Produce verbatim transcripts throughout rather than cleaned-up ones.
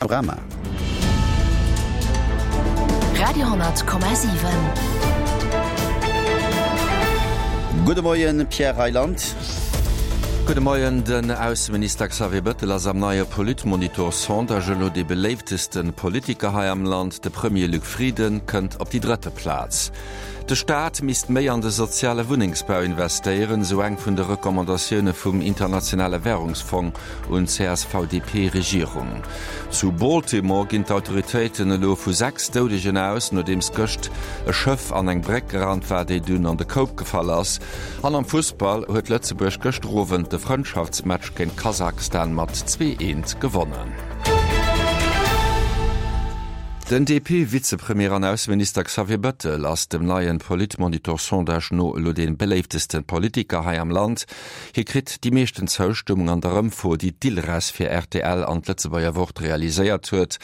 Panorama. Radio hundert Komma siwen. Gudde Moien, Pierre Reyland. Gudde Moien. Den Ausseminister Xavier Bettel ass am neie Politmonitor-Sondage elo dee beléifteste Politiker hei am Land. De Premier Luc Frieden kënnt op déi drëtte Plaz. De Staat misst méi an de soziale Wunnengsbau investéieren, esou eng vun de Recommandatioune vum Internationale Wärungsfong un d'C S V D P-Regierung. Zu Baltimore ginn d'Autoritéiten elo vu sechs Doudegen aus, nodeems gëscht e Schëff an eng Bréck gerannt war, déi dunn an de Koup gefall ass. An am Fussball huet Lëtzebuerg gëschter Owend de Frëndschaftsmatch géint Kasachstan mat zwee eent gewonnen. Den D P-Vizepremier an Ausseminister Xavier Bettel ass dem neien Politmonitor-Sondage no elo dee beléiftesten Politiker hei am Land. Hie kritt déi meeschten Zoustëmmung an der Ëmfro, déi d'Ilres fir R T L an d'Lëtzebuerger Wort realiséiert huet.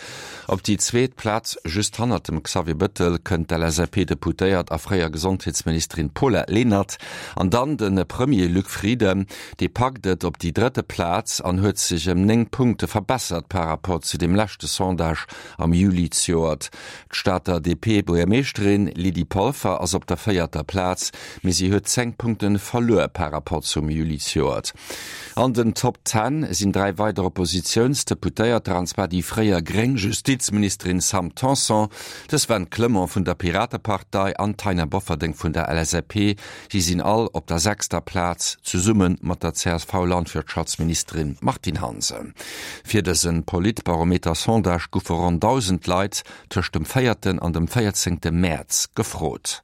Op déi zweet Plaz, just hannert dem Xavier Bettel, kënnt d'L S A P-Deputéiert a fréier Gesondheetsministerin Paula Lenert. An dann de Premier Luc Frieden, dee packt et op déi drëtte Plaz an huet sech ëm néng Punkte verbessert par rapport zu dem leschte Sondage am Juli zejoert. D'Stater D P-Buergermeeschterin Lydie Polfer ass op der véierter Plaz, mee si huet zéng Punkte verluer par rapport zum Juli zejoert. An den Top Ten sinn dräi weider Oppositiounsdeputéierter, an zwar déi fréier gréng Justizministerin Sam Tanson, de Sven Clement vun der Piratepartei an d'Taina Bofferding vun der L S A P. Si sinn all op der sechster Plaz, zesumme mat der C S V-Landwirtschaftsministerin Martine Hansen. Fir dëse Politbarometer-Sondage goufe ronn dausend Leit tëscht dem véierten an dem véierzéngte Mäerz gefrot.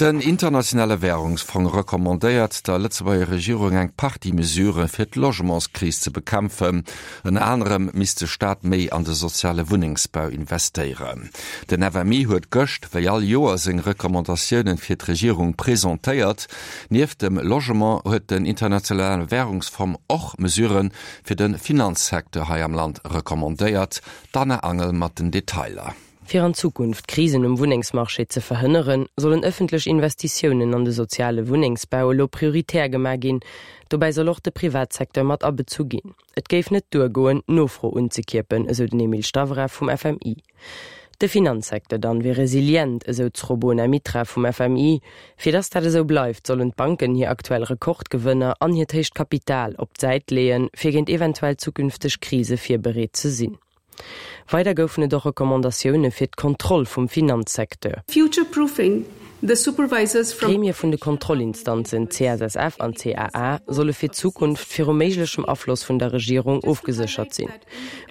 Den Internationale Wärungsfong recommandéiert der Lëtzebuerger Regierung eng Partie Mesurë fir d'Logementskris ze bekämpfen. Ënner anerem misst de Staat méi an de soziale Wunnengsbau investéieren. Den F M I huet gëscht wéi all Joer seng Recommandatioune fir d'Regierung presentéiert. Nieft dem Logement huet den Internationale Wärungsfong och Mesurë fir de Finanzsecteur hei am Land recommandéiert. D'Anna Angel mat den Detailer. Fir an Zukunft Krisen um Wunnengsmarché ze verhënneren, sollen ëffentlech Investitiounen an de soziale Wunnengsbau elo prioritär gemaach ginn. Dobäi soll och de Privatsecteur mat abezu ginn. Et géif net duergoen, Nofro unzekierpen, esou den Emil Stavrev vum F M I. De Finanzsecteur dann wier resilient, esou d'Srobona Mitra vum F M I. Fir dass dat esou bleift, sollen d'Banken hir aktuell Rekordgewënner an hiert héicht Kapital op d'Säit leeën, fir géint eventuell zukünfteg Krise virbereet ze sinn. Weider goufen et och Recommandatioune fir d'Kontroll vum Finanzsecteur. Future-proofing the supervisors from D'Gremie vun de Kontrollinstanzen C S S F an C A A solle fir d'Zukunft viru méiglechem Afloss vun der Regierung ofgeséchert sinn.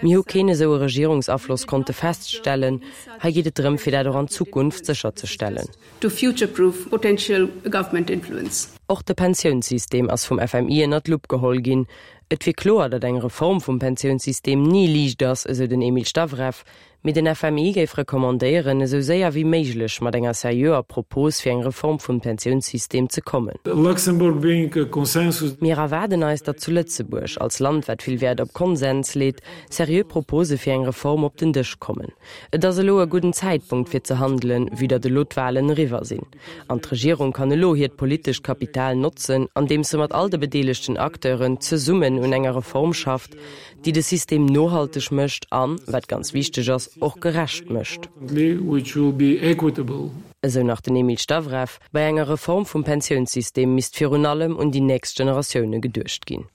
Mir hu keen esou e Regierungsafloss konnte feststellen, hei geet et drëm, fir dat och an Zukunft sécherzestellen. To future-proof potential government influence. Och de Pensiounssystem ass vum F M I ënner d'Lupp geholl ginn. Et wier kloer, datt eng Reform vum Pensiounssystem ni liicht ass, esou den Emil Stavrev, mee den F M I géif recommandéieren, esou séier wéi méiglech mat enger seriöer Propos fir eng Reform vum Pensiounssystem ze kommen. Luxembourg being a consensus Mir erwaarden eis, datt zu Lëtzebuerg als Land, wat vill Wäert op Konsens leet, seriö Propose fir eng Reform op den Dësch kommen. Et ass elo e gudden Zäitpunkt fir ze handelen, vue datt elo d'Walen eriwwer sinn. An d'Regierung kann elo hiert politescht Kapital notzen, andeems se mat all de bedeelegten Acteuren zesummen un enger Reform schafft, déi de System nohalteg mécht an, wat ganz wichteg ass, och gerecht mécht. Which will be equitable. Esou nach den Emil Stavrev, bei enger Reform vum Pensiounssystem misst virun allem un déi nächst Generatioune geduecht ginn.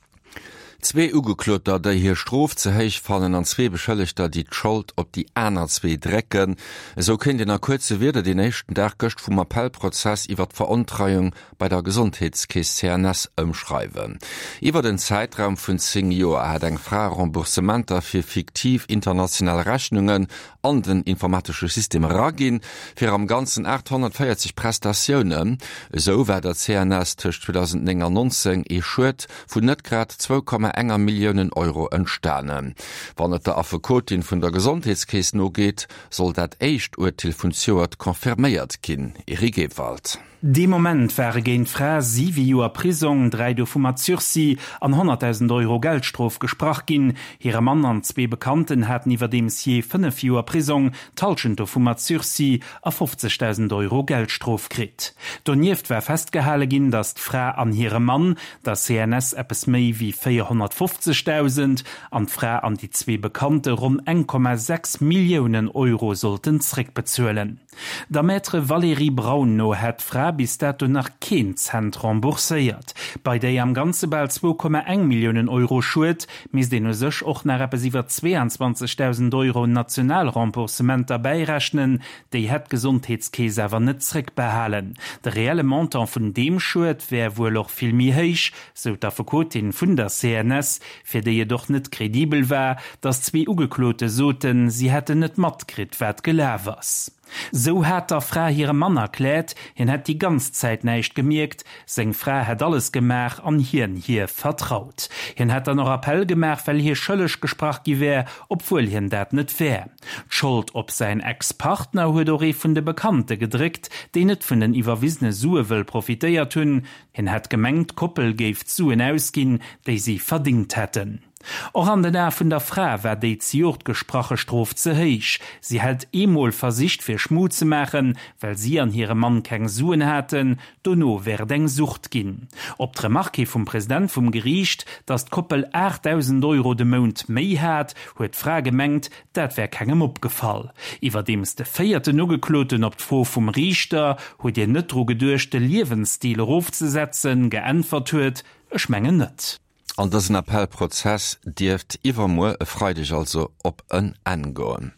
Zwee Ugekloter, déi hir Strof ze héich fannen an zwee Beschëllegter, déi d'Schold op déi aner zwee drécken. Esou kéint een a kuerze Wierder den éischten Dag gëscht vum Appellprozess iwwer d'Verontreiung bei der Gesondheetskeess C N S ëmschreiwen. Iwwer den Zäitraum vun zéng Joer hat eng Fra Remboursementer fir fiktiv international Rechnungen an den informatesche System eraginn, fir am Ganzen aathonnertvéierzeg Prestatiounen. Esou war der C N S tëscht zweedausendnéng an nonzéng ee Schued vun net grad zwou Komma enger Milliounen Euro entstanen. Wann et der Affekotin vun der Gesondheetskeess nogeet, soll dat éischt Urteel vun zejoert confirméiert ginn. Eric Ewald. Dee Moment ware géint d'Fra siwe Joer Prisong, dräi dovu mat Sursis an honnertdausend Euro Geldstrof gesprach ginn. Hire Mann an zwee Bekannten haten iwwerdeems jee fënnef Joer Prisong, d'Hallschent dovu mat Sursis a fofzegdausend Euro Geldstrof kritt. Donieft war festgehale ginn, datt d'Fra an hire Mann der C N S eppes méi wéi véierhonnert zweehonnertfofzegdausend an d'Fra an déi zwee Bekannte ronn eng Komma sechs Milliounen Euro sollten zréckbezuelen. Der Maître Valérie Braun no hätt d'Fra bis dato nach keen Cent rembourséiert. Bei déi am Ganze bal zwou Komma eng Milliounen Euro Schued misst een u sech och nach eppes iwwer zweeanzwanzegdausend Euro national Remboursementer bäirechnen, déi hätt d'Gesondheetskeess awer net zréckbehalen. De reelle Montant vun deem Schued wär wuel och vill méi héich, sou d'Affekotin vun der C N S, fir déi et och net kredibel war, datt zwee Ugeklote soten, si hätten net matkritt, wat gelaf ass. Sou hat der Fra hire Mann erkläert, hien hätt déi ganz Zäit näischt gemierkt, seng Fra hätt alles gemaach an hien hir vertraut. Hien hätt dann och Appell gemaach, well hie schëlleg gesprach gi wär, obwuel hien dat net wär. D'Schold op säin Ex-Partner huet och ee vun de Bekannte gedréckt, déi net vun den iwwerwisene Sue wëll profitéiert hunn. Hien hätt gemengt, d'Koppel géif d'Suen ausginn, déi si verdingt hätten. Och an den Ae vun der Fra war déi zejoert gesprache Strof ze héich. Si hätt eemol versicht fir Schmu ze maachen, well si an hire Mann keng Suen haten, dono wär et eng Sucht ginn. Op d'Remarque hi vum President vum Geriicht, datt d'Koppel aachtdausend Euro de Mount méi hat, huet d'Fra gemengt, dat wär kengem opgefall. Iwwerdeems de véierten Ugekloten op d'Fro vum Riichter, Hutt Dir net dru geduecht de Liewensstil erofzesetzen? geäntwert huet, Ech mengen net. An dësen Appellprozess dierft iwwermuer, e Freideg also, op en Enn goen.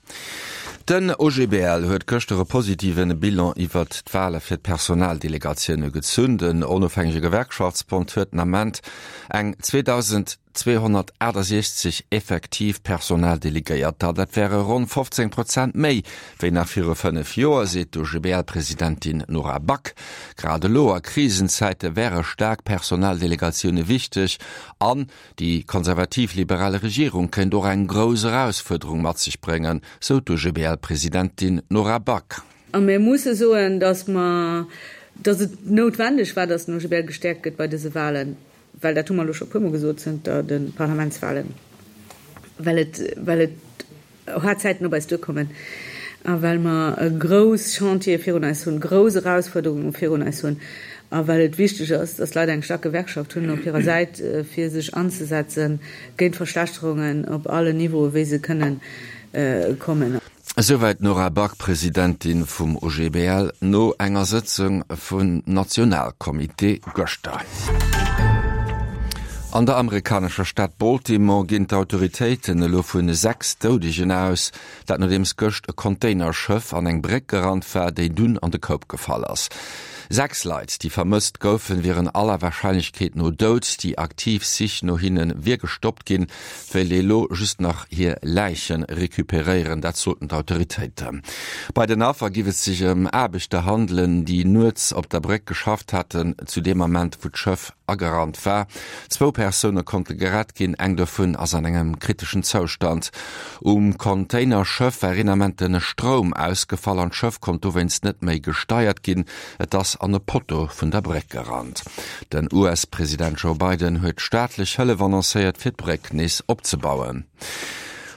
Den O G B L huet gëschter e positive Bilan iwwert d'Wale fir d'Personaldelegatioune gezunn. Den onofhängege Gewerkschaftsbond huet den Ament eng zweedausendzweehonnertaachtasechzeg effektiv Personaldelegéierter. Dat wäre ronn fofzéng Prozent méi wéi nach viru fënnef Joer, seet d'O G B L-Presidentin Nora Back. Grad elo a Krisenzäite wäre staark Personaldelegatioune wichteg an déi konservativ-liberal Regierung kéint och eng grouss Erausfuerderung mat sech bréngen, sou d'O G B L-Presidentin Nora Back. A mir musse soen, dass mer, dass et noutwendeg war, dass den O G B L gestäerkt gëtt bei dëse Wahlen, well dat hu mer elo scho puermol gesot zënter de Parlamentswahlen, well et, well et haart Zäiten op eis duerkommen a well mer e grouss Chantiere virun eis hunn, grouss Erausfuerderunge virun eis hunn a well et wichteg ass, dass d'Leit eng staark Gewerkschaft hunn op hirer Säit, fir sech anzesetze géint Verschlechterungen op allen Niveaue wéi se kënnen kommen. Esouwäit d'Nora Back, Presidentin vum O G B L, no enger Sëtzung vum Nationalcomité gëschter. An der amerikanescher Stad Baltimore ginn d'Autoritéiten elo vu sechs Doudegen aus, dat nodeems gëscht e Containerschëff an eng Bréck gerannt war, déi dunn an de Koup gefall ass. Sechs Leit, déi vermësst goufen, wieren aller Warscheinlechkeet no dout. Déi aktiv Sich no hinne wier gestoppt ginn, wéilt ee lo just nach hir Läiche recuperéieren, dat soten d'Autoritéiten. Bei den Affer géif et sech ëm Aarbechter handelen, déi nuets op der Bréck geschafft haten, zu deem Ament, wou d'Schëff agerannt war. Zwou Persoune konnte gerett ginn, eng dovun ass an engem kriteschen Zoustand. Um Containerschëff war een Ament de Stroum ausgefall an d'Schëff konnt dowéinst net méi gesteiert ginn. Et ass an e Potto vun der Bréck gerannt. Den U S-President Joe Biden huet staatlech Hëllef annoncéiert, fir d'Bréck nees opzebauen.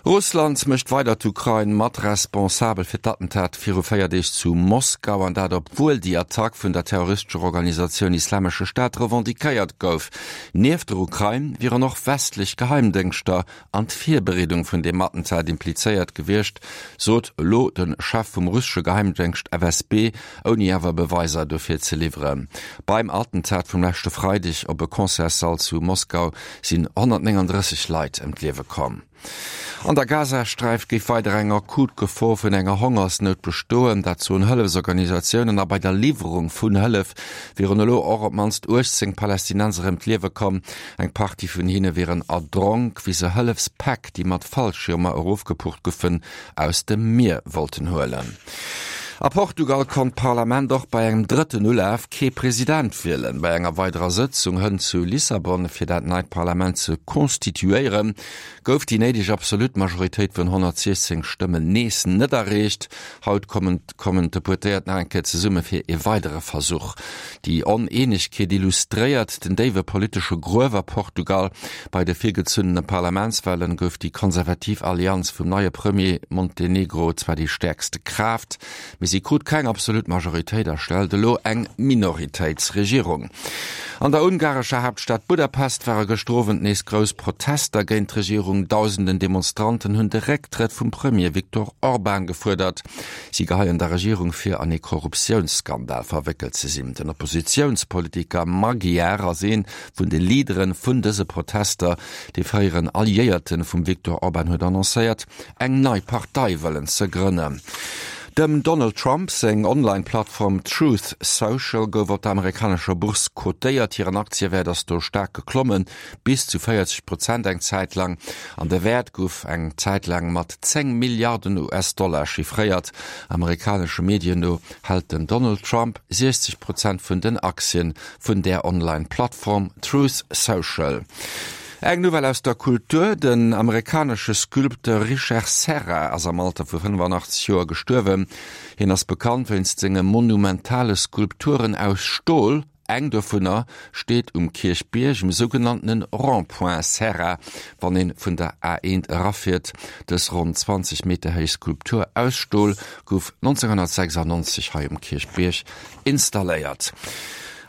Russland mécht weider d'Ukrain mat responsabel fir d'Attentat viru véier Deeg zu Moskau, an dat obwuel déi Attack vun der terroristescher Organisatioun Islamesche Staat revendiquéiert gouf. Nieft der Ukrain wieren och westlech Geheimdéngschter an d'Virbereedung vun deem Attentat implizéiert gewiescht, sot elo de Chef vum russesche Geheimdéngscht F S B, ouni awer Beweiser dofir ze liwweren. Beim Attentat vum leschte Freideg op e Concertssall zu Moskau sinn honnertnénganddrësseg Leit ëm d'Liewe komm. An der Gazasträif géif weider eng akut Gefor vun enger Hongersnout bestoen, dat soen Hëllefsorganisatiounen, a bei der Liwwerung vun Hëllef wieren elo och op d'mannst uechtzéng Palästinenser ëm d'Liewe komm. Eng Partie vun hinne wieren erdronk, wéi se Hëllefspäck, déi mat Fallschiermer erofgepucht goufen, aus dem Mier wollten huelen. A Portugal konnt d'Parlament och bei engem drëtten Ulaf kee President wielen. Bei enger weiderer Sëtzung hënt zu Lissabon, fir dat neit Parlament ze konstituéieren, gouf déi néideg absolut Majoritéit vun honnertsiechzéng Stëmmen nees net erreecht. Haut kommen kommen d'Deputéiert nach eng Kéier zesumme fir e weidere Versuch. Déi Oneenegkeet illustréiert den déiwe politesche Gruef a Portugal. Bei de virgezunnene Parlamentswalen gouf déi konservativ Allianz vum neie Premier Montenegro zwar déi stäerkste Kraaft, mee si krut keng absolut Majoritéit a stellt elo eng Minoritéitsregierung. An der ungarescher Haaptstad Budapest ware gëschter Owend nees grouss Protester géint d'Regierung. Dausenden Demonstranten hunn de Récktrëtt vum Premier Viktor Orban gefuerdert. Si geheien der Regierung vir, an ee Korruptiounsskandal verwéckelt ze sinn. Den Oppositiounspolitiker Magyar ass ee vun de Leadere vun dëse Protester. Dee fréieren Alliéierte vum Viktor Orban huet annoncéiert, eng nei Partei wëllen ze grënnen. Dem Donald Trump seng Online-Plattform Truth Social gouf op der amerikanescher Bourse cotéiert. Hiren Aktiewäert ass do staark geklommen, bis zu véierzeg Prozent eng Zäit laang. An de Wäert gouf eng Zäit laang mat zéng Milliarden US-Dollar chiffréiert. Amerikanesche Medien no hält den Donald Trump siechzeg Prozent vun den Aktien vun där Online-Plattform Truth Social. Eng Nouvelle aus der Kultur, Den amerikanesche Sculpteur Richard Serra ass am Alter vu fënnefanachtzeg Joer gestuerwen. Hien ass bekannt wéinst senge monumentale Skulpturen aus Stol. Eng dovunner steet um Kierchbierg um sougenanntene Rond-point Serra, wann ee vun der A eent erafiert. Dës ronn zwanzeg Meter héich Skulptur aus Stol gouf nonzénghonnertsechsannonzeg hei um Kierchbierg installéiert.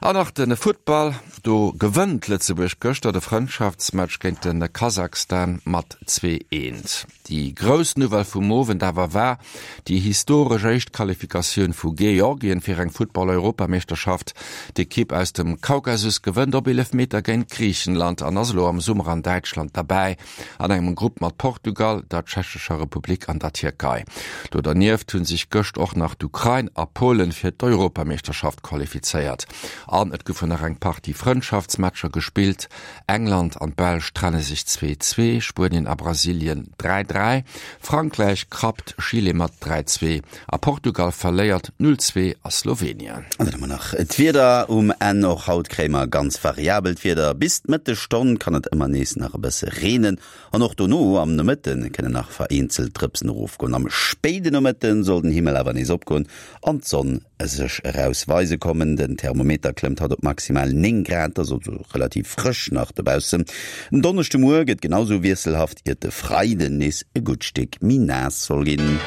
An nach de Futtball, do gewënnt Lëtzebuerg gëschter de Frëndschaftsmatch géint de Kasachstan mat zwee eent. Déi grouss Nouvelle vum Owend awer war déi historesch éischt Qualifikatioun vu Georgien fir eng Futtball-Europameeschterschaft. D'Ekipp aus dem Kaukasus gewënnt op Eelefmeter géint Griichenland an ass elo am Summer an Däitschland derbäi an engem Grupp mat Portugal, der Tschechescher Republik an der Tierkei. Do dernieft hu sech gëscht och nach d'Ukrain a Polen fir d'Europameeschterschaft qualifizéiert. An et goufen nach eng Partie Frëndschaftsmatcher gespillt, England an d'Belsch trenne sech zwee zwee, Spuenien a Brasilien dräi dräi, Frankräich krappt Chile mat dräi zwee a Portugal verléiert null zwee a Slowenien. An dann hu mer nach d'Wieder um Enn. Och haut kréie mer ganz variabelt Wieder. Bis d'Mëttesstonn kann et ëmmer nees nach e bësse reenen an och dono am Nomëtte kënnen nach vereenzelt Drëpsen erofgoen. Am spéide Nomëtte soll den Himmel awer nees opgoen an d'Sonn sech eraus weise kommen. Den Thermometer klëmmt haut op maximal néng Grad, dat ass also relativ frësch nach dobaussen. En Donneschdemuer gëtt genau sou wiesselhaft, iert de Freiden nees e gutt Stéck méi naass soll ginn.